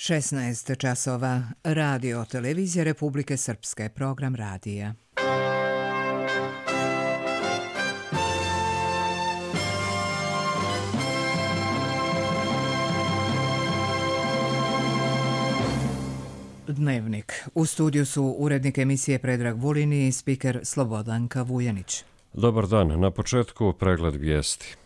16 časova. Radio televizija Republike Srpske. Program radija. Dnevnik. U studiju su urednik emisije Predrag Vulin i spiker Slobodanka Vujanić. Dobar dan. Na početku pregled vijesti.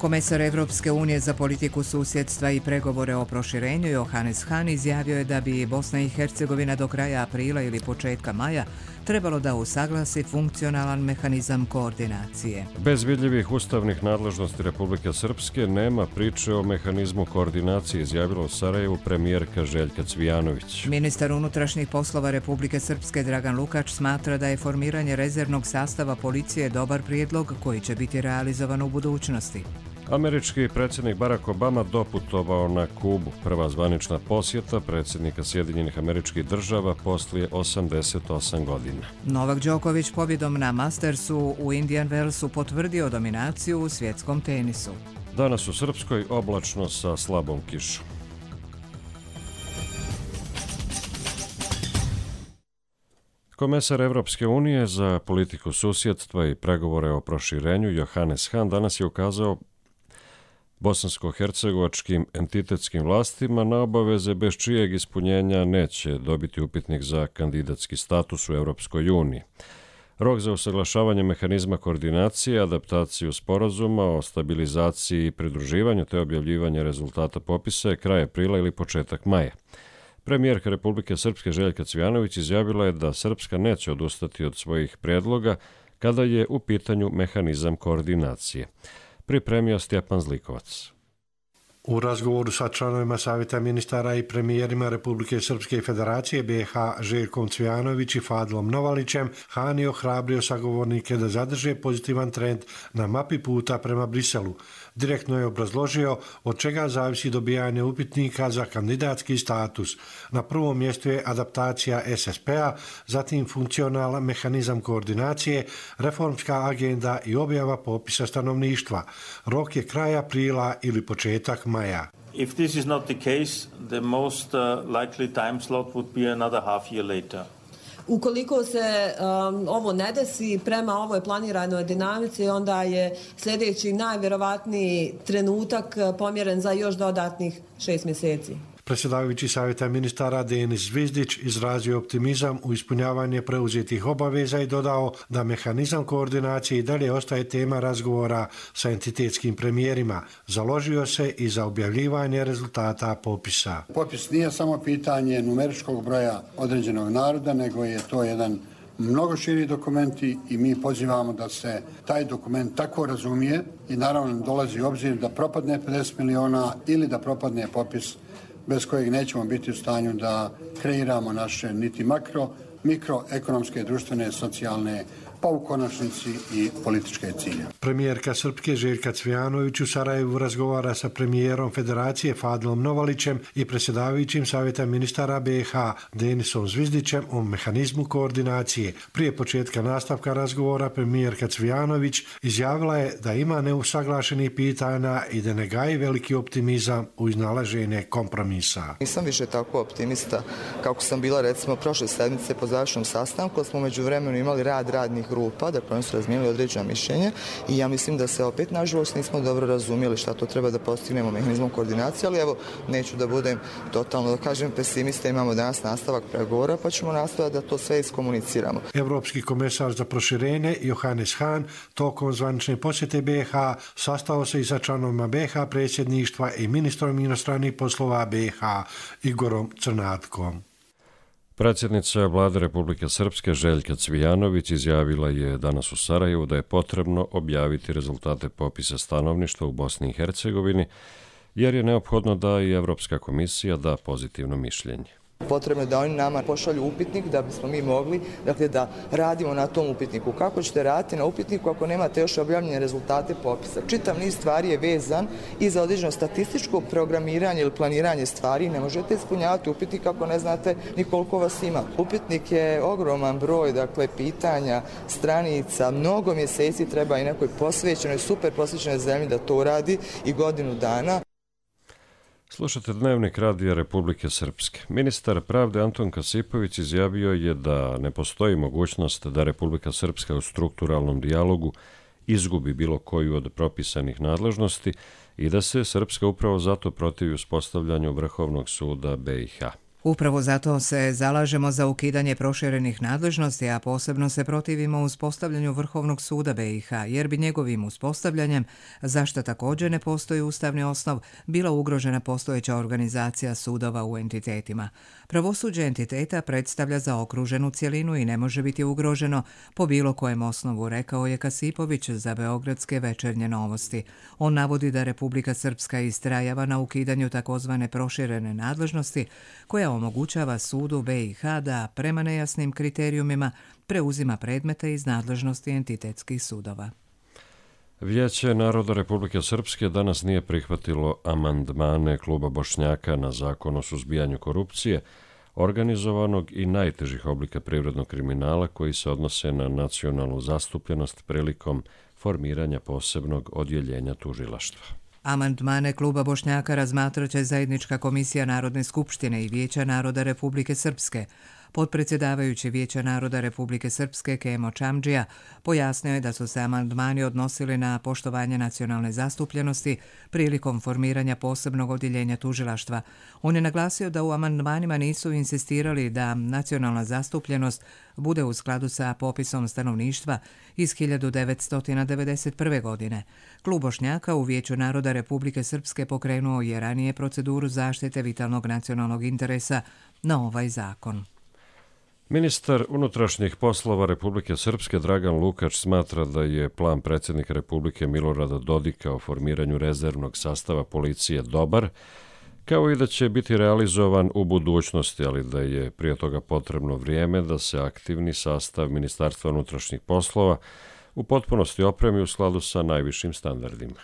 Komesar Evropske unije za politiku susjedstva i pregovore o proširenju Johannes Hahn izjavio je da bi Bosna i Hercegovina do kraja aprila ili početka maja trebalo da usaglasi funkcionalan mehanizam koordinacije. Bez vidljivih ustavnih nadležnosti Republike Srpske nema priče o mehanizmu koordinacije, izjavila u Sarajevu premijerka Željka Cvijanović. Ministar unutrašnjih poslova Republike Srpske Dragan Lukač smatra da je formiranje rezervnog sastava policije dobar prijedlog koji će biti realizovan u budućnosti. Američki predsjednik Barack Obama doputovao na Kubu. Prva zvanična posjeta predsjednika Sjedinjenih Američkih Država poslije 88 godina. Novak Đoković pobjedom na Mastersu u Indian Wellsu potvrdio dominaciju u svjetskom tenisu. Danas u Srpskoj oblačno sa slabom kišom. Komesar Evropske unije za politiku susjedstva i pregovore o proširenju Johannes Hahn danas je ukazao bosansko-hercegovačkim entitetskim vlastima na obaveze bez čijeg ispunjenja neće dobiti upitnik za kandidatski status u Europskoj uniji. Rok za usaglašavanje mehanizma koordinacije, adaptaciju sporazuma o stabilizaciji i pridruživanju te objavljivanje rezultata popisa je kraj aprila ili početak maja. Premijerka Republike Srpske Željka Cvijanović izjavila je da Srpska neće odustati od svojih prijedloga kada je u pitanju mehanizam koordinacije. Pripremio Stjepan Zlikovac. U razgovoru sa članovima Savjeta ministara i premijerima Republike Srpske i Federacije BiH Željkom Cvijanović i Fadlom Novalićem, Hahn je ohrabrio sagovornike da zadrže pozitivan trend na mapi puta prema Briselu. Direktno je obrazložio od čega zavisi dobijanje upitnika za kandidatski status. Na prvom mjestu je adaptacija SSP-a, zatim funkcionalan mehanizam koordinacije, reformska agenda i objava popisa stanovništva. Rok je kraj aprila ili početak maja. If this is not the case, the most likely time slot would be another half year later. Ukoliko se ovo ne desi prema ovoj planiranoj dinamici, onda je sljedeći najvjerovatniji trenutak pomjeren za još dodatnih 6 mjeseci. Predsjedavajući Savjeta ministara Denis Zvizdić izrazio optimizam u ispunjavanje preuzetih obaveza i dodao da mehanizam koordinacije i dalje ostaje tema razgovora sa entitetskim premijerima. Založio se i za objavljivanje rezultata popisa. Popis nije samo pitanje numeričkog broja određenog naroda, nego je to jedan mnogo širi dokumenti i mi pozivamo da se taj dokument tako razumije i naravno dolazi u obzir da propadne 50 miliona ili da propadne popis bez kojeg nećemo biti u stanju da kreiramo naše niti mikroekonomske, društvene, socijalne, pa u konačnici i političke cilje. Premijerka Srpske Željka Cvijanović u Sarajevu razgovara sa premijerom Federacije Fadlom Novalićem i predsjedavajućim Savjeta ministara BiH Denisom Zvizdićem o mehanizmu koordinacije. Prije početka nastavka razgovora premijerka Cvijanović izjavila je da ima neusaglašenih pitanja i da ne gaji veliki optimizam u iznalaženje kompromisa. Nisam više tako optimista kako sam bila recimo prošle sedmice po završnom sastanku, smo među vremenu imali radnih grupa, dakle oni su razmijenili određena mišljenja i ja mislim da se opet nažalost nismo dobro razumjeli šta to treba da postignemo mehanizmom koordinacije, ali evo neću da budem totalno, da kažem, pesimista, imamo danas nastavak pregovora pa ćemo nastaviti da to sve iskomuniciramo. Evropski komesar za proširenje Johannes Hahn tokom zvanične posjete BiH sastao se i sa članovima BiH predsjedništva i ministrom inostranih poslova BiH Igorom Crnatkom. Predsjednica Vlade Republike Srpske Željka Cvijanović izjavila je danas u Sarajevu da je potrebno objaviti rezultate popisa stanovništva u Bosni i Hercegovini, jer je neophodno da i Evropska komisija da pozitivno mišljenje. Potrebno je da oni nama pošalju upitnik da bismo mi mogli, dakle, da radimo na tom upitniku. Kako ćete raditi na upitniku ako nemate još objavljene rezultate popisa? Čitav niz stvari je vezan i za određeno statističko programiranje ili planiranje stvari. Ne možete ispunjavati upitnik ako ne znate ni koliko vas ima. Upitnik je ogroman broj, dakle, pitanja, stranica, mnogo mjeseci treba i nekoj posvećenoj, super posvećenoj zemlji da to radi i godinu dana. Slušate Dnevnik Radija Republike Srpske. Ministar pravde Anton Kasipović izjavio je da ne postoji mogućnost da Republika Srpska u strukturalnom dijalogu izgubi bilo koju od propisanih nadležnosti i da se Srpska upravo zato protivi uspostavljanju Vrhovnog suda BiH. Upravo zato se zalažemo za ukidanje proširenih nadležnosti, a posebno se protivimo uspostavljanju Vrhovnog suda BiH, jer bi njegovim uspostavljanjem, za što također ne postoji ustavni osnov, bila ugrožena postojeća organizacija sudova u entitetima. Pravosuđe entiteta predstavlja zaokruženu cjelinu i ne može biti ugroženo po bilo kojem osnovu, rekao je Kasipović za Beogradske večernje novosti. On navodi da Republika Srpska istrajava na ukidanju takozvane proširene nadležnosti, koja omogućava sudu BiH da prema nejasnim kriterijumima preuzima predmete iz nadležnosti entitetskih sudova. Vijeće naroda Republike Srpske danas nije prihvatilo amandmane Kluba Bošnjaka na zakon o suzbijanju korupcije, organizovanog i najtežih oblika privrednog kriminala koji se odnose na nacionalnu zastupljenost prilikom formiranja posebnog odjeljenja tužilaštva. Amandmane Kluba Bošnjaka razmatraće Zajednička komisija Narodne skupštine i Vijeća naroda Republike Srpske. Potpredsjedavajući Vijeća naroda Republike Srpske Kemo Čamdžija pojasnio je da su se amandmani odnosili na poštovanje nacionalne zastupljenosti prilikom formiranja posebnog odjeljenja tužilaštva. On je naglasio da u amandmanima nisu insistirali da nacionalna zastupljenost bude u skladu sa popisom stanovništva iz 1991. godine. Klub Bošnjaka u Vijeću naroda Republike Srpske pokrenuo je ranije proceduru zaštite vitalnog nacionalnog interesa na ovaj zakon. Ministar unutrašnjih poslova Republike Srpske Dragan Lukač smatra da je plan predsjednika Republike Milorada Dodika o formiranju rezervnog sastava policije dobar, kao i da će biti realizovan u budućnosti, ali da je prije toga potrebno vrijeme da se aktivni sastav Ministarstva unutrašnjih poslova u potpunosti opremi u skladu sa najvišim standardima.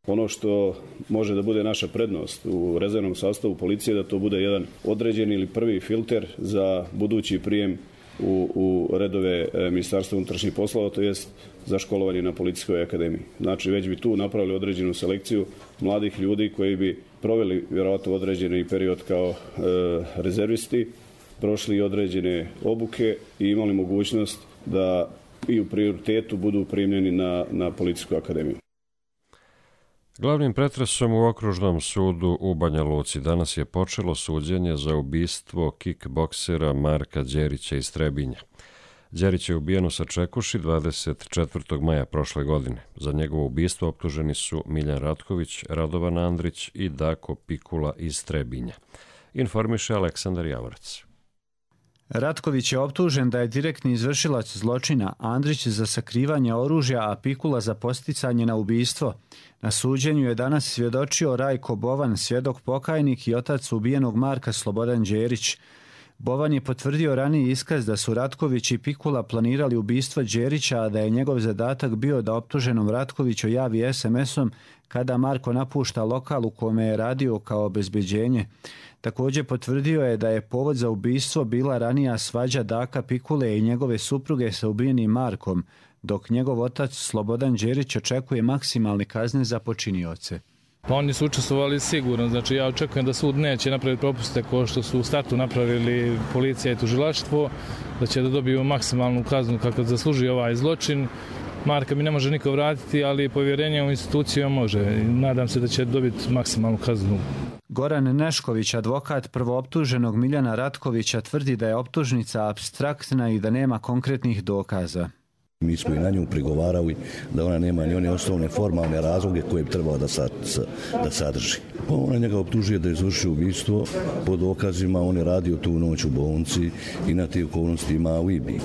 Ono što može da bude naša prednost u rezervnom sastavu policije da to bude jedan određeni ili prvi filter za budući prijem u redove Ministarstva unutrašnjih poslova, to jest za školovanje na Policijskoj akademiji. Znači već bi tu napravili određenu selekciju mladih ljudi koji bi proveli vjerojatno određeni period kao rezervisti, prošli određene obuke i imali mogućnost da i u prioritetu budu primljeni na Policijsku akademiju. Glavnim pretresom u Okružnom sudu u Banja Luci danas je počelo suđenje za ubistvo kickboksera Marka Đerića iz Trebinja. Đerić je ubijen u Sačekuši 24. maja prošle godine. Za njegovo ubistvo optuženi su Miljan Ratković, Radovan Andrić i Dako Pikula iz Trebinja. Informiše Aleksandar Javorac. Ratković je optužen da je direktni izvršilac zločina, Andrić za sakrivanje oružja, a Pikula za posticanje na ubistvo. Na suđenju je danas svjedočio Rajko Bovan, svjedok pokajnik i otac ubijenog Marka Slobodan Đerić. Bovan je potvrdio raniji iskaz da su Ratković i Pikula planirali ubistvo Đerića, a da je njegov zadatak bio da optuženom Ratkoviću javi SMS-om kada Marko napušta lokal u kome je radio kao obezbeđenje. Također potvrdio je da je povod za ubistvo bila ranija svađa Daka Pikule i njegove supruge sa ubijenim Markom, dok njegov otac Slobodan Đerić očekuje maksimalne kazne za počinioce. Pa oni su učestvovali sigurno, znači ja očekujem da sud neće napraviti propuste kao što su u startu napravili policija i tužilaštvo, da će da dobiju maksimalnu kaznu kako zasluži ovaj zločin. Marka mi ne može niko vratiti, ali povjerenje u instituciju može. Nadam se da će dobiti maksimalnu kaznu. Goran Nešković, advokat prvooptuženog Miljana Ratkovića, tvrdi da je optužnica apstraktna i da nema konkretnih dokaza. Mi smo i na nju prigovarali da ona nema ni one osnovne formalne razloge koje bi trebalo da sadrži. Ona njega optužuje da je izvršio ubistvo po dokazima, on je radio tu noć u bolnici i na te okolnosti ima alibi.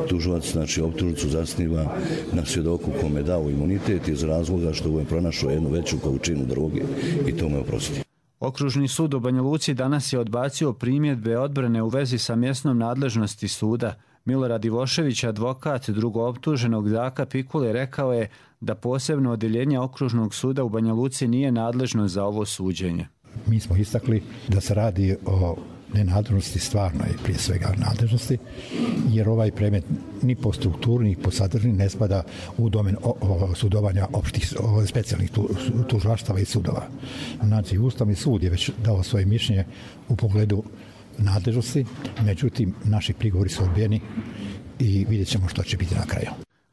Tužilac, znači, optužnicu zasniva na svjedoku kome je dao imunitet iz razloga što je pronašao jednu veću količinu droge i to me oprosti. Okružni sud u Banja Luci danas je odbacio primjedbe odbrane u vezi sa mjesnom nadležnosti suda. Milorad Ivošević, advokat drugooptuženog Daka Pikule, rekao je da posebno odjeljenje Okružnog suda u Banja Luci nije nadležno za ovo suđenje. Mi smo istakli da se radi o nenadležnosti, stvarno je prije svega nadležnosti, jer ovaj predmet ni po strukturi ni po sadržini ne spada u domen sudovanja opštih specijalnih tužilaštava i sudova. Znači, Ustavni sud je već dao svoje mišljenje u pogledu nadležnosti, međutim, naši prigovori su odbijeni i vidjet ćemo što će biti na kraju.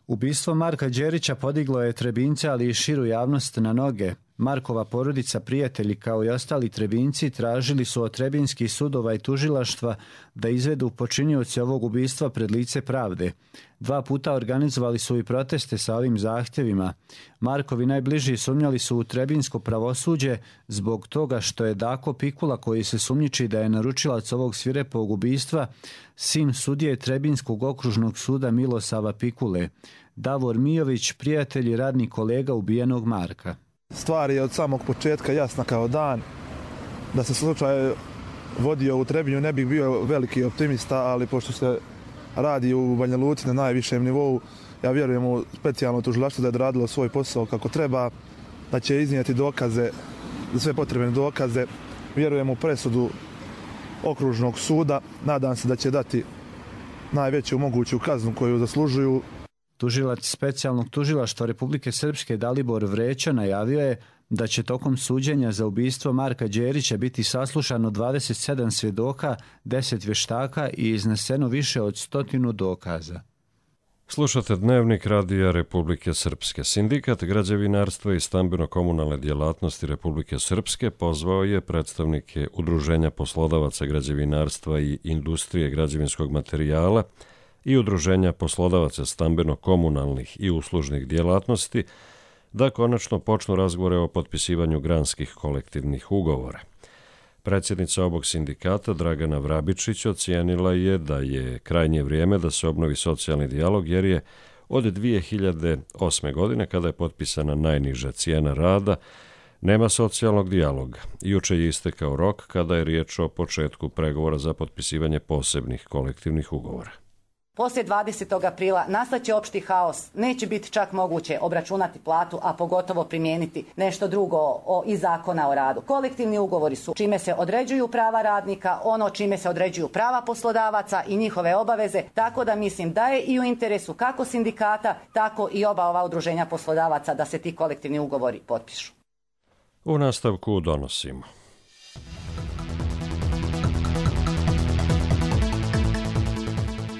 Ubistvo Marka Đerića podiglo je Trebince, ali i širu javnost na noge. Markova porodica, prijatelji kao i ostali Trebinci tražili su od trebinskih sudova i tužilaštva da izvedu počinioce ovog ubistva pred lice pravde. 2 puta organizovali su i proteste sa ovim zahtjevima. Markovi najbliži sumnjali su u trebinsko pravosuđe zbog toga što je Dako Pikula, koji se sumnjiči da je naručilac ovog svirepog ubistva, sin sudije Trebinskog okružnog suda Milosava Pikule. Davor Mijović, prijatelj i radni kolega ubijenog Marka. Stvar je od samog početka jasna kao dan. Da se slučaj vodio u Trebinju ne bih bio veliki optimista, ali pošto se radi u Banja Luci na najvišem nivou, ja vjerujem u specijalno tužilaštvo da je odradilo svoj posao kako treba, da će iznijeti dokaze, sve potrebne dokaze. Vjerujem u presudu Okružnog suda, nadam se da će dati najveću moguću kaznu koju zaslužuju. Tužilac specijalnog tužilaštva Republike Srpske Dalibor Vreća najavio je da će tokom suđenja za ubistvo Marka Đerića biti saslušano 27 svjedoka, 10 vještaka i izneseno više od 100 dokaza. Slušate Dnevnik Radija Republike Srpske. Sindikat građevinarstva i stambeno-komunalne djelatnosti Republike Srpske pozvao je predstavnike Udruženja poslodavaca građevinarstva i industrije građevinskog materijala i Udruženja poslodavaca stambeno-komunalnih i uslužnih djelatnosti da konačno počnu razgovore o potpisivanju granskih kolektivnih ugovora. Predsjednica ovog sindikata Dragana Vrabičić ocijenila je da je krajnje vrijeme da se obnovi socijalni dijalog jer je od 2008. godine, kada je potpisana najniža cijena rada, nema socijalnog dijaloga. Juče je istekao rok kada je riječ o početku pregovora za potpisivanje posebnih kolektivnih ugovora. Poslije 20. aprila nastaće opšti haos, neće biti čak moguće obračunati platu, a pogotovo primijeniti nešto drugo iz zakona o radu. Kolektivni ugovori su čime se određuju prava radnika, ono čime se određuju prava poslodavaca i njihove obaveze, tako da mislim da je i u interesu kako sindikata, tako i oba ova udruženja poslodavaca da se ti kolektivni ugovori potpišu. U nastavku donosimo.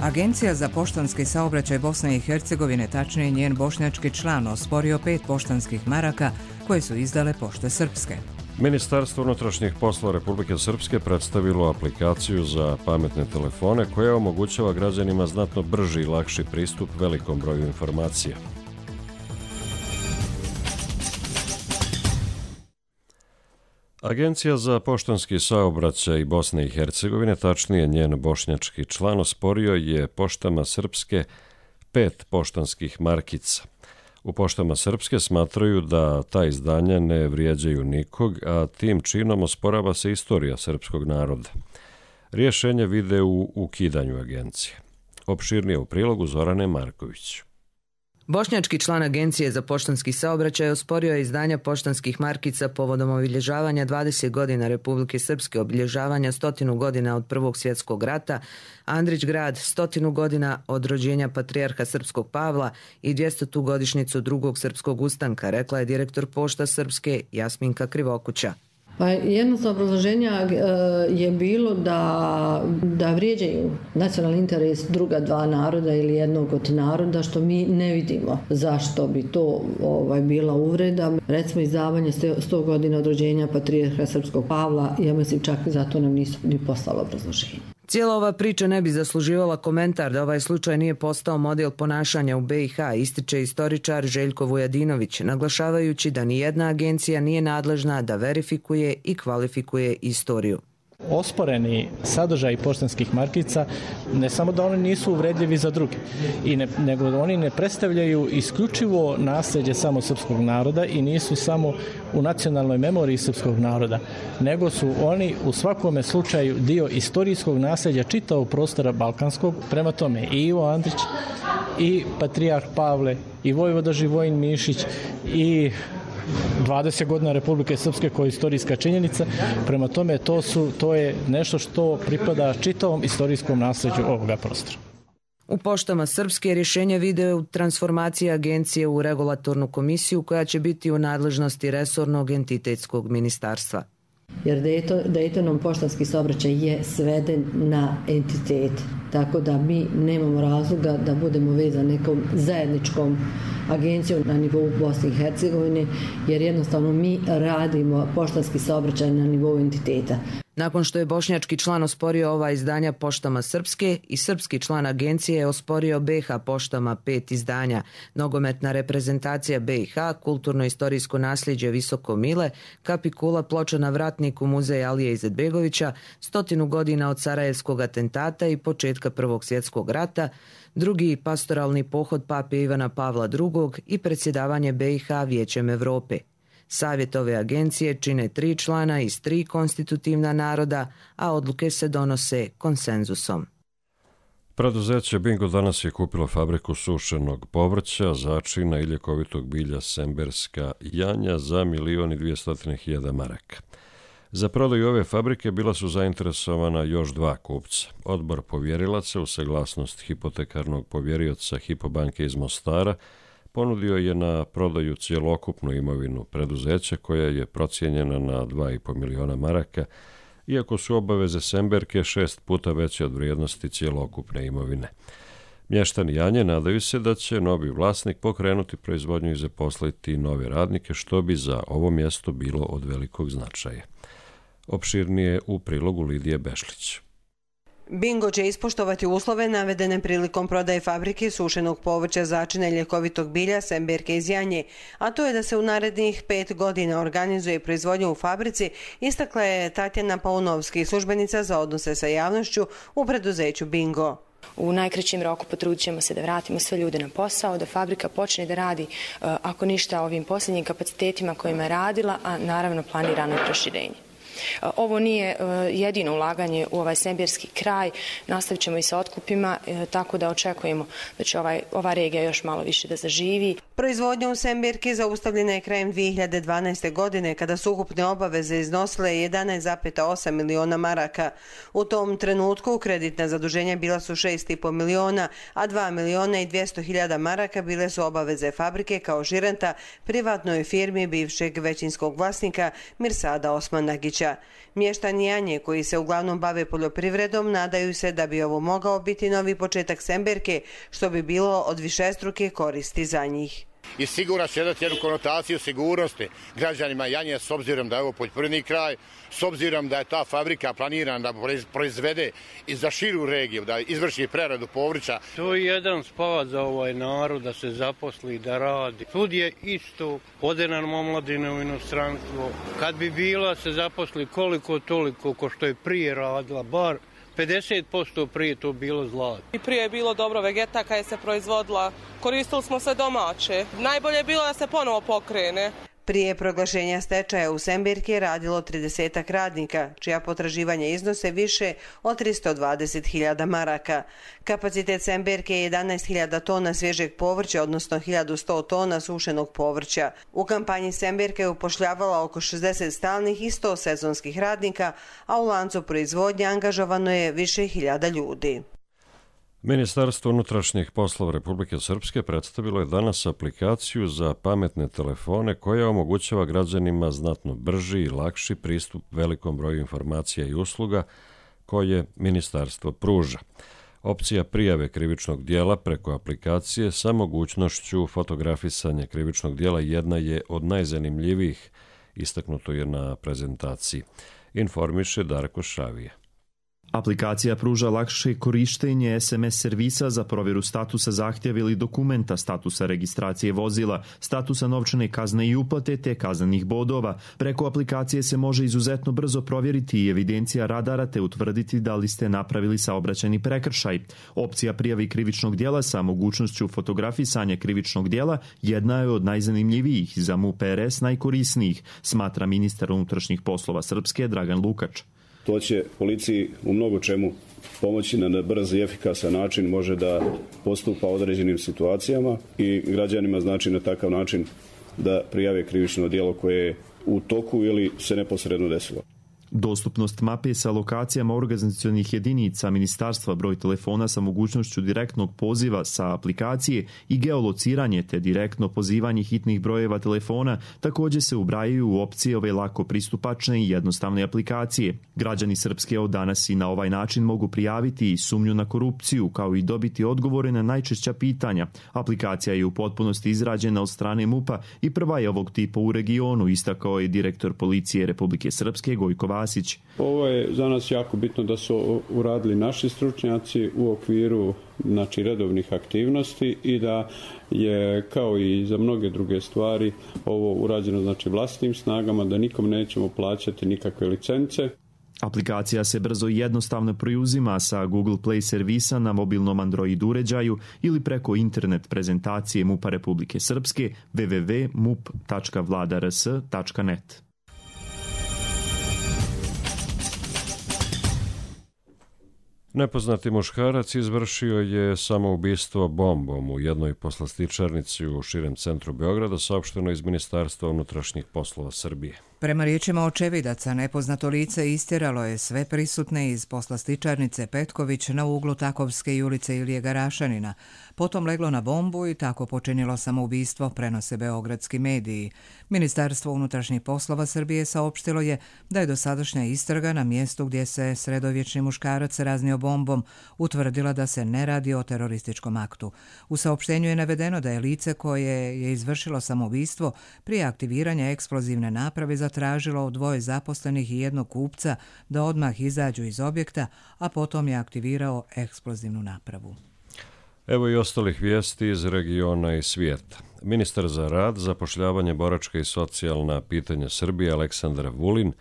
Agencija za poštanski saobraćaj Bosne i Hercegovine, tačnije njen bošnjački član, osporio 5 poštanskih maraka koje su izdale Pošte Srpske. Ministarstvo unutrašnjih poslova Republike Srpske predstavilo aplikaciju za pametne telefone koja omogućava građanima znatno brži i lakši pristup velikom broju informacija. Agencija za poštanski saobraćaj Bosne i Hercegovine, tačnije njen bošnjački član, osporio je Poštama Srpske 5 poštanskih markica. U Poštama Srpske smatraju da ta izdanja ne vrijeđaju nikog, a tim činom osporava se istorija srpskog naroda. Rješenje vide u ukidanju agencije. Opširnije u prilogu Zorane Marković. Bošnjački član Agencije za poštanski saobraćaj osporio je izdanja poštanskih markica povodom obilježavanja 20 godina Republike Srpske, obilježavanja 100 godina od Prvog svjetskog rata, Andrić grad 100 godina od rođenja patrijarha Srpskog Pavla i 200. godišnjicu drugog srpskog ustanka, rekla je direktor Pošta Srpske Jasminka Krivokuća. Pa jedno sa obrazloženja je bilo da vrijeđaju nacionalni interes druga dva naroda ili jednog od naroda, što mi ne vidimo zašto bi to bila uvreda. Recimo izdavanje 100 godina od rođenja patrijarha Srpskog Pavla, ja mislim čak zato nam nisu ni poslalo obrazloženje. Cijela ova priča ne bi zasluživala komentar da ovaj slučaj nije postao model ponašanja u BiH, ističe istoričar Željko Vujadinović, naglašavajući da nijedna agencija nije nadležna da verifikuje i kvalifikuje istoriju. Osporeni sadržaj poštanskih markica ne samo da oni nisu uvredljivi za druge, nego oni ne predstavljaju isključivo nasljeđe samo srpskog naroda i nisu samo u nacionalnoj memoriji srpskog naroda, nego su oni u svakome slučaju dio istorijskog nasljeđa čitavog prostora balkanskog. Prema tome i Ivo Andrić, i patrijarh Pavle, i vojvoda Živojin Mišić, i 20 godina Republike Srpske koja je istorijska činjenica. Prema tome to je nešto što pripada čitavom istorijskom nasljeđu ovoga prostora. U Poštama Srpske rješenje vide u transformaciji agencije u regulatornu komisiju koja će biti u nadležnosti resornog entitetskog ministarstva. Jer Daytonom poštanski saobraćaj je sveden na entitet, tako da mi nemamo razloga da budemo vezani nekom zajedničkom agencijom na nivou Bosne i Hercegovine, jer jednostavno mi radimo poštanski saobraćaj na nivou entiteta. Nakon što je bošnjački član osporio ova izdanja Poštama Srpske i srpski član agencije je osporio BiH Poštama 5 izdanja, nogometna reprezentacija BiH, kulturno-istorijsko nasljeđe Visoko Mile, kapikula ploča na vratniku muzeja Alije Izetbegovića, 100 godina od Sarajevskog atentata i početka Prvog svjetskog rata, drugi pastoralni pohod pape Ivana Pavla II i predsjedavanje BiH Vijećem Europe. Savjet ove agencije čine 3 člana iz 3 konstitutivna naroda, a odluke se donose konsenzusom. Preduzeće Bingo danas je kupilo fabriku sušenog povrća, začina i ljekovitog bilja Semberska Janja za 1.200.000 maraka. Za prodaju ove fabrike bila su zainteresovana još 2 kupca. Odbor povjerilaca u saglasnost hipotekarnog povjerioca Hypo banke iz Mostara ponudio je na prodaju cjelokupnu imovinu preduzeća koja je procijenjena na 2,5 miliona maraka, iako su obaveze Semberke 6 puta veće od vrijednosti cjelokupne imovine. Mještani Janje nadaju se da će novi vlasnik pokrenuti proizvodnju i zaposliti nove radnike, što bi za ovo mjesto bilo od velikog značaja. Opširnije u prilogu Lidije Bešlić. Bingo će ispoštovati uslove navedene prilikom prodaje fabrike sušenog povrća, začina i ljekovitog bilja Semberke iz Janje, a to je da se u narednih 5 godina organizuje proizvodnja u fabrici, istakla je Tatjana Paunovski, službenica za odnose sa javnošću u preduzeću Bingo. U najkraćem roku potrudit ćemo se da vratimo sve ljude na posao, da fabrika počne da radi, ako ništa, ovim posljednjim kapacitetima kojima je radila, a naravno planirano je proširenje. Ovo nije jedino ulaganje u ovaj semberski kraj, nastavit ćemo i sa otkupima, tako da očekujemo da će ova regija još malo više da zaživi. Proizvodnja u Semberki zaustavljena je krajem 2012. godine kada su ukupne obaveze iznosile 11,8 miliona maraka. U tom trenutku kreditna zaduženja bila su 6,5 miliona, a 2.200.000 maraka bile su obaveze fabrike kao žirenta privatnoj firmi bivšeg većinskog vlasnika Mirsada Osmanagića. Mještani Janje, koji se uglavnom bave poljoprivredom, nadaju se da bi ovo mogao biti novi početak Semberke, što bi bilo od višestruke koristi za njih. I sigurno će dati jednu konotaciju sigurnosti građanima Janje, s obzirom da je ovo poljoprivredni kraj, s obzirom da je ta fabrika planirana da proizvede i za širu regiju, da izvrši preradu povrća. To je jedan spavat za ovaj narod da se zaposli, da radi. Sud je isto, ode nam omladine u inostranstvo. Kad bi bila se zaposli koliko toliko ko što je prije radila, bar 50% prije to bilo zlato. I prije je bilo dobro, vegetaka je se proizvodila, koristili smo sve domaće. Najbolje je bilo da se ponovo pokrene. Prije proglašenja stečaja u Semberki je radilo 30 radnika, čija potraživanja iznose više od 320.000 maraka. Kapacitet Semberke je 11.000 tona svježeg povrća, odnosno 1.100 tona sušenog povrća. U kampanji Semberke je upošljavala oko 60 stalnih i 100 sezonskih radnika, a u lancu proizvodnje angažovano je više hiljada ljudi. Ministarstvo unutrašnjih poslova Republike Srpske predstavilo je danas aplikaciju za pametne telefone koja omogućava građanima znatno brži i lakši pristup velikom broju informacija i usluga koje ministarstvo pruža. Opcija prijave krivičnog dijela preko aplikacije sa mogućnošću fotografisanja krivičnog dijela jedna je od najzanimljivijih, istaknuto je na prezentaciji, informiše Darko Šavija. Aplikacija pruža lakše korištenje SMS servisa za provjeru statusa zahtjeva ili dokumenta, statusa registracije vozila, statusa novčane kazne i uplate te kaznenih bodova. Preko aplikacije se može izuzetno brzo provjeriti i evidencija radara te utvrditi da li ste napravili saobraćajni prekršaj. Opcija prijavi krivičnog djela sa mogućnošću fotografisanja krivičnog djela jedna je od najzanimljivijih, za MUP RS najkorisnijih, smatra ministar unutrašnjih poslova Srpske Dragan Lukač. To će policiji u mnogo čemu pomoći na brz i efikasan način, može da postupa određenim situacijama i građanima znači na takav način da prijave krivično djelo koje je u toku ili se neposredno desilo. Dostupnost mape sa lokacijama organizacionih jedinica ministarstva, broj telefona sa mogućnošću direktnog poziva sa aplikacije i geolociranje te direktno pozivanje hitnih brojeva telefona također se ubrajaju u opcije ove lako pristupačne i jednostavne aplikacije. Građani Srpske od danas i na ovaj način mogu prijaviti i sumnju na korupciju kao i dobiti odgovore na najčešća pitanja. Aplikacija je u potpunosti izrađena od strane MUP-a i prva je ovog tipa u regionu, istakao je direktor policije Republike Srpske Gojko Vasić. Ovo je za nas jako bitno da su uradili naši stručnjaci u okviru redovnih aktivnosti i da je kao i za mnoge druge stvari ovo urađeno vlastitim snagama, da nikom nećemo plaćati nikakve licence. Aplikacija se brzo i jednostavno preuzima sa Google Play servisa na mobilnom Android uređaju ili preko internet prezentacije MUP-a Republike Srpske www.mup.vladars.net. Nepoznati muškarac izvršio je samoubistvo bombom u jednoj poslastičarnici u širem centru Beograda, saopšteno iz Ministarstva unutrašnjih poslova Srbije. Prema riječima očevidaca, nepoznato lice istjeralo je sve prisutne iz poslastičarnice Petković na uglu Takovske i ulice Ilije Garašanina. Potom leglo na bombu i tako počinilo samoubistvo, prenose beogradski mediji. Ministarstvo unutrašnjih poslova Srbije saopštilo je da je dosadašnja istraga na mjestu gdje se sredovječni muškarac raznio bombom utvrdila da se ne radi o terorističkom aktu. U saopštenju je navedeno da je lice koje je izvršilo samoubistvo prije aktiviranja eksplozivne naprave zatražilo od dvoje zaposlenih i jednog kupca da odmah izađu iz objekta, a potom je aktivirao eksplozivnu napravu. Evo i ostalih vijesti iz regiona i svijeta. Ministar za rad, zapošljavanje, boračka i socijalna pitanja Srbije Aleksandar Vulin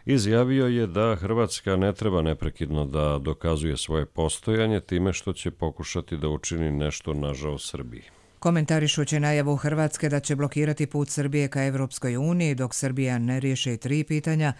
izjavio je da Hrvatska ne treba neprekidno da dokazuje svoje postojanje time što će pokušati da učini nešto na žao Srbiji. Komentarišući najavu Hrvatske da će blokirati put Srbije ka Evropskoj uniji dok Srbija ne riješi 3 pitanja,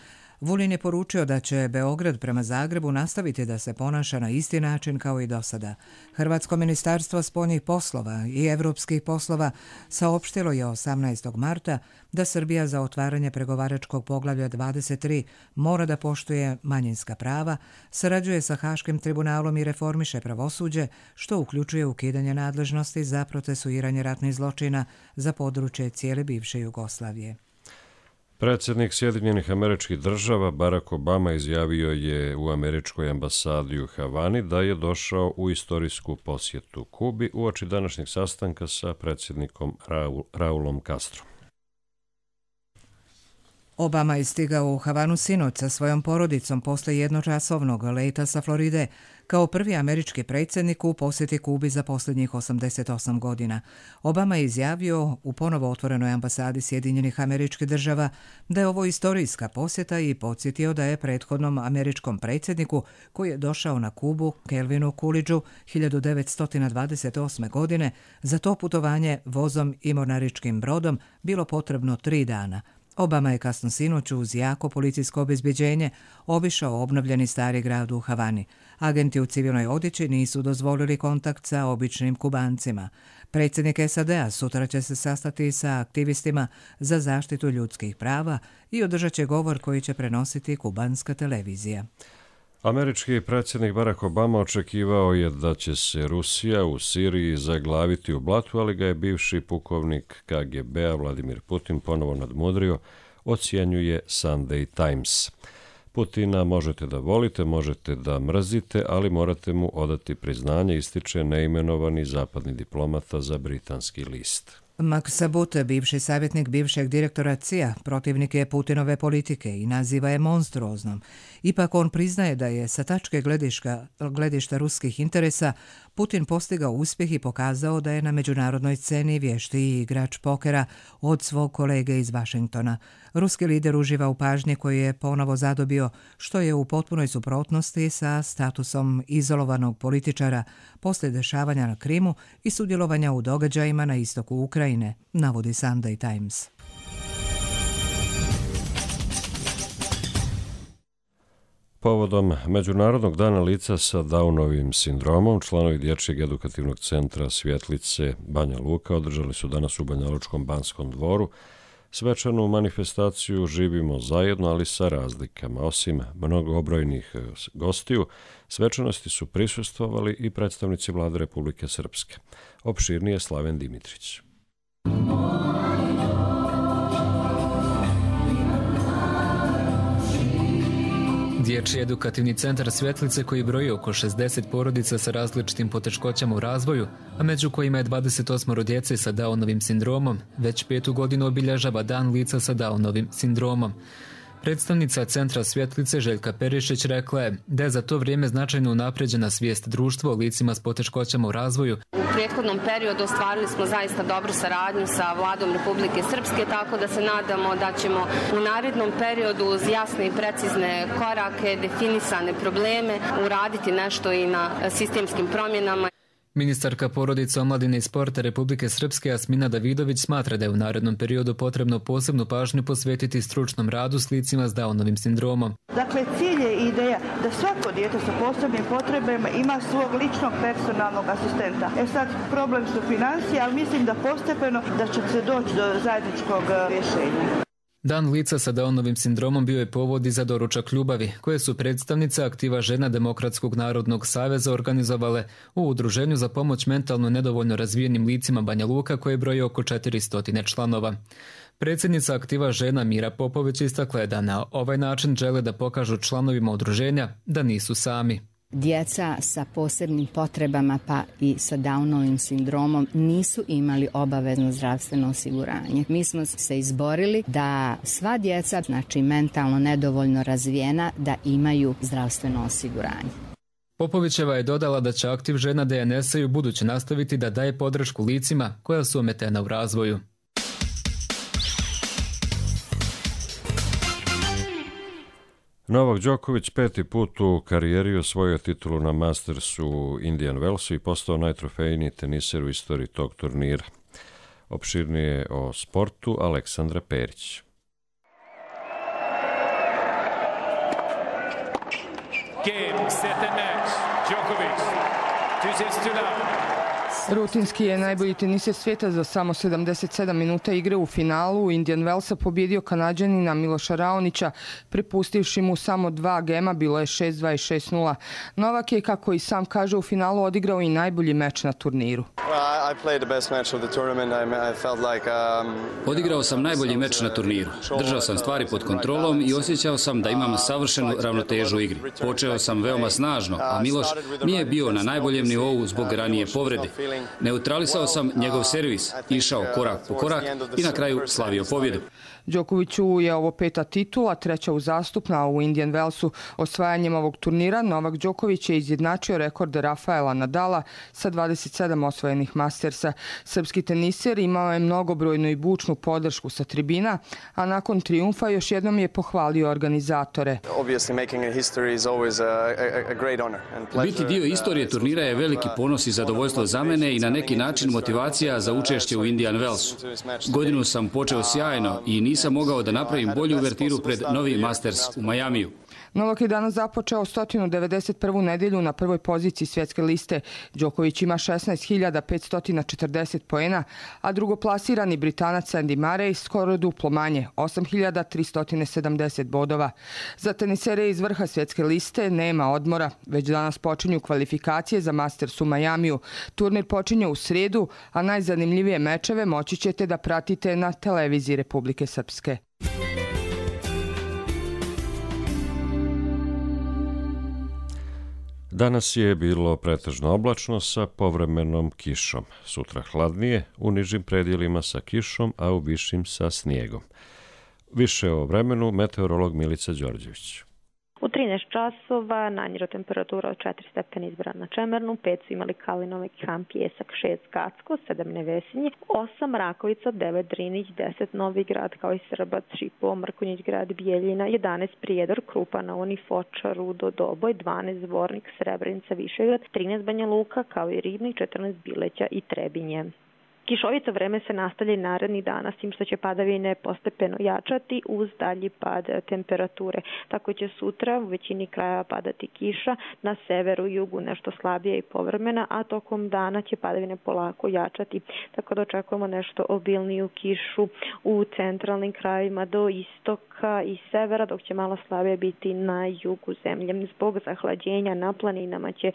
Vulin je poručio da će Beograd prema Zagrebu nastaviti da se ponaša na isti način kao i do sada. Hrvatsko ministarstvo spoljnih poslova i evropskih poslova saopštilo je 18. marta da Srbija za otvaranje pregovaračkog poglavlja 23 mora da poštuje manjinska prava, sarađuje sa Haškim tribunalom i reformiše pravosuđe, što uključuje ukidanje nadležnosti za procesuiranje ratnih zločina za područje cijele bivše Jugoslavije. Predsjednik Sjedinjenih Američkih Država Barack Obama izjavio je u američkoj ambasadi u Havani da je došao u istorijsku posjetu Kubi uoči današnjeg sastanka sa predsjednikom Raulom Castrom. Obama je stigao u Havanu sinoć sa svojom porodicom posle jednočasovnog leta sa Floride kao prvi američki predsjednik u posjeti Kubi za posljednjih 88 godina. Obama je izjavio u ponovo otvorenoj ambasadi Sjedinjenih Američkih Država da je ovo istorijska posjeta i podsjetio da je prethodnom američkom predsjedniku koji je došao na Kubu, Kelvinu Coolidgeu 1928. godine, za to putovanje vozom i mornaričkim brodom bilo potrebno 3 dana. Obama je kasno sinoć uz jako policijsko obezbeđenje obišao obnovljeni stari grad u Havani. Agenti u civilnoj odjeći nisu dozvolili kontakt sa običnim Kubancima. Predsjednik SAD-a sutra će se sastati sa aktivistima za zaštitu ljudskih prava i održat će govor koji će prenositi kubanska televizija. Američki predsjednik Barack Obama očekivao je da će se Rusija u Siriji zaglaviti u blatu, ali ga je bivši pukovnik KGB-a Vladimir Putin ponovo nadmudrio, ocjenjuje Sunday Times. Putina možete da volite, možete da mrzite, ali morate mu odati priznanje, ističe neimenovani zapadni diplomata za britanski list. Maksabut, bivši savjetnik bivšeg direktora CIA, protivnik je Putinove politike i naziva je monstruoznom. Ipak on priznaje da je sa tačke gledišta ruskih interesa Putin postigao uspjeh i pokazao da je na međunarodnoj sceni vještiji igrač pokera od svog kolege iz Vašingtona. Ruski lider uživa u pažnji koju je ponovo zadobio, što je u potpunoj suprotnosti sa statusom izolovanog političara poslije dešavanja na Krimu i sudjelovanja u događajima na istoku Ukrajine, navodi Sunday Times. Povodom Međunarodnog dana lica sa Downovim sindromom, članovi Dječjeg edukativnog centra Svjetlice Banja Luka održali su danas u Banjalučkom Banskom dvoru svečanu manifestaciju Živimo zajedno, ali sa razlikama. Osim mnogobrojnih gostiju, svečanosti su prisustvovali i predstavnici Vlade Republike Srpske. Opširnije Slaven Dimitrić. Dječji edukativni centar Svjetlice, koji broji oko 60 porodica sa različitim poteškoćama u razvoju, a među kojima je 28 djece sa Downovim sindromom, već 5. godinu obilježava Dan lica sa Downovim sindromom. Predstavnica centra Svjetlice Željka Perišić rekla je da je za to vrijeme značajno unapređena svijest društva o licima s poteškoćama u razvoju. U prethodnom periodu ostvarili smo zaista dobru saradnju sa Vladom Republike Srpske, tako da se nadamo da ćemo u narednom periodu uz jasne i precizne korake, definisane probleme, uraditi nešto i na sistemskim promjenama. Ministarka porodice, omladine i sporta Republike Srpske Jasmina Davidović smatra da je u narednom periodu potrebno posebnu pažnju posvetiti stručnom radu s licima s Downovim sindromom. Dakle, cilj je ideja da svako dijete sa posebnim potrebama ima svog ličnog personalnog asistenta. Sad problem su financije, ali mislim da postepeno da će se doći do zajedničkog rješenja. Dan lica sa Downovim sindromom bio je povod i za doručak ljubavi, koje su predstavnice aktiva žena Demokratskog narodnog saveza organizovale u Udruženju za pomoć mentalno nedovoljno razvijenim licima Banja Luka, koje broji oko 400 članova. Predsjednica aktiva žena Mira Popović istakla je da na ovaj način žele da pokažu članovima udruženja da nisu sami. Djeca sa posebnim potrebama pa i sa Downovim sindromom nisu imali obavezno zdravstveno osiguranje. Mi smo se izborili da sva djeca, znači mentalno nedovoljno razvijena, da imaju zdravstveno osiguranje. Popovićeva je dodala da će aktiv žena DNS-a i ubuduće nastaviti da daje podršku licima koja su ometena u razvoju. Novak Đoković 5. put u karijeri osvojio titulu na Mastersu u Indian Wellsu i postao najtrofejniji teniser u istoriji tog turnira. Opširnije o sportu Aleksandra Perić. Game, set and match. Đoković, 2 sets to none. Rutinski je najbolji teniser svijeta za samo 77 minuta igre u finalu. Indian Wellsa pobjedio Kanađanina Miloša Raonića, prepustivši mu samo 2 gema, bilo je 6-2 i 6-0. Novak je, kako i sam kaže, u finalu odigrao i najbolji meč na turniru. Odigrao sam najbolji meč na turniru. Držao sam stvari pod kontrolom i osjećao sam da imam savršenu ravnotežu u igri. Počeo sam veoma snažno, a Miloš nije bio na najboljem nivou zbog ranije povrede. Neutralisao sam njegov servis, išao korak po korak i na kraju slavio pobjedu. Đokoviću je ovo 5. titula, 3. uzastopna u Indian Wellsu. Osvajanjem ovog turnira Novak Đoković je izjednačio rekord Rafaela Nadala sa 27 osvojenih Mastersa. Srpski teniser imao je mnogobrojnu i bučnu podršku sa tribina, a nakon trijumfa još jednom je pohvalio organizatore. Biti dio istorije turnira je veliki ponos i zadovoljstvo za mene i na neki način motivacija za učešće u Indian Wellsu. Godinu sam počeo sjajno i nisam mogao da napravim bolju uvertiru pred novi Masters u Majamiju. Novak je danas započeo 191. nedjelju na prvoj poziciji svjetske liste. Đoković ima 16.540 poena, a drugoplasirani Britanac Andy Murray skoro duplo manje, 8.370 bodova. Za tenisere iz vrha svjetske liste nema odmora. Već danas počinju kvalifikacije za Masters u Majamiju. Turnir počinje u srijedu, a najzanimljivije mečeve moći ćete da pratite na televiziji Republike Srpske. Danas je bilo pretežno oblačno sa povremenom kišom. Sutra hladnije, u nižim predjelima sa kišom, a u višim sa snijegom. Više o vremenu meteorolog Milica Đorđević. U 13 časova najniža temperatura od 4 stepeni izbran na Čemernu, 5 su imali Kalinove, Ham, Pjesak, 6 Kacko, 7 Nevesinje, 8 Rakovica, 9 Drinić, 10 Novi Grad kao i Srbac, Šipovo, Mrkonjić grad, Bijeljina, 11 Prijedor, Krupa, Naoni, Foča, Rudo, Doboj, 12 Zvornik, Srebrenica, Višegrad, 13 Banja Luka kao i Ribnik, 14 Bileća i Trebinje. Kišovito vreme se nastavlja i narednih dana, s tim što će padavine postepeno jačati uz dalji pad temperature. Tako će sutra u većini krajeva padati kiša, na severu i jugu nešto slabije i povremena, a tokom dana će padavine polako jačati. Tako da očekujemo nešto obilniju kišu u centralnim krajevima do istoka i severa, dok će malo slabije biti na jugu zemlje. Zbog zahlađenja na planinama će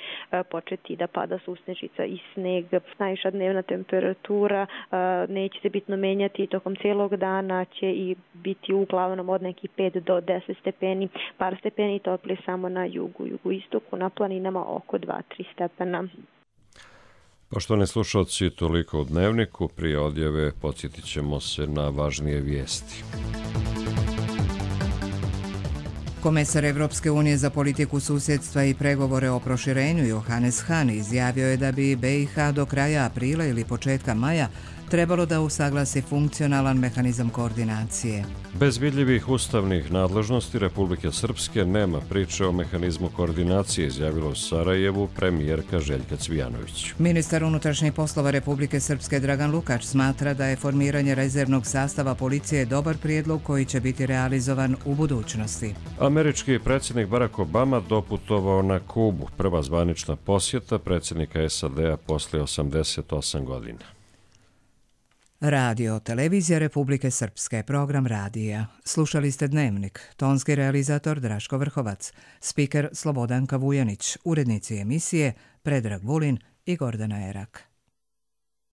početi da pada susnežica i sneg. Najviša dnevna temperatura neće se bitno menjati, tokom cijelog dana će i biti uglavnom od nekih 5 do 10 stepeni, par stepeni toplije samo na jugoistoku, na planinama oko 2-3 stepena. Poštovani slušalci, toliko u Dnevniku. Prije odjave podsjetit ćemo se na važnije vijesti. Komesar Evropske unije za politiku susjedstva i pregovore o proširenju Johannes Hahn izjavio je da bi BiH do kraja aprila ili početka maja trebalo da usaglasi funkcionalan mehanizam koordinacije. Bez vidljivih ustavnih nadležnosti Republike Srpske nema priče o mehanizmu koordinacije, izjavila u Sarajevu premijerka Željka Cvijanović. Ministar unutrašnjih poslova Republike Srpske Dragan Lukač smatra da je formiranje rezervnog sastava policije dobar prijedlog koji će biti realizovan u budućnosti. Američki predsjednik Barack Obama doputovao na Kubu, prva zvanična posjeta predsjednika SAD-a poslije 88 godina. Radio, televizija Republike Srpske, program radija. Slušali ste Dnevnik, tonski realizator Draško Vrhovac, spiker Slobodanka Vujanić, urednici emisije Predrag Vulin i Gordana Erak.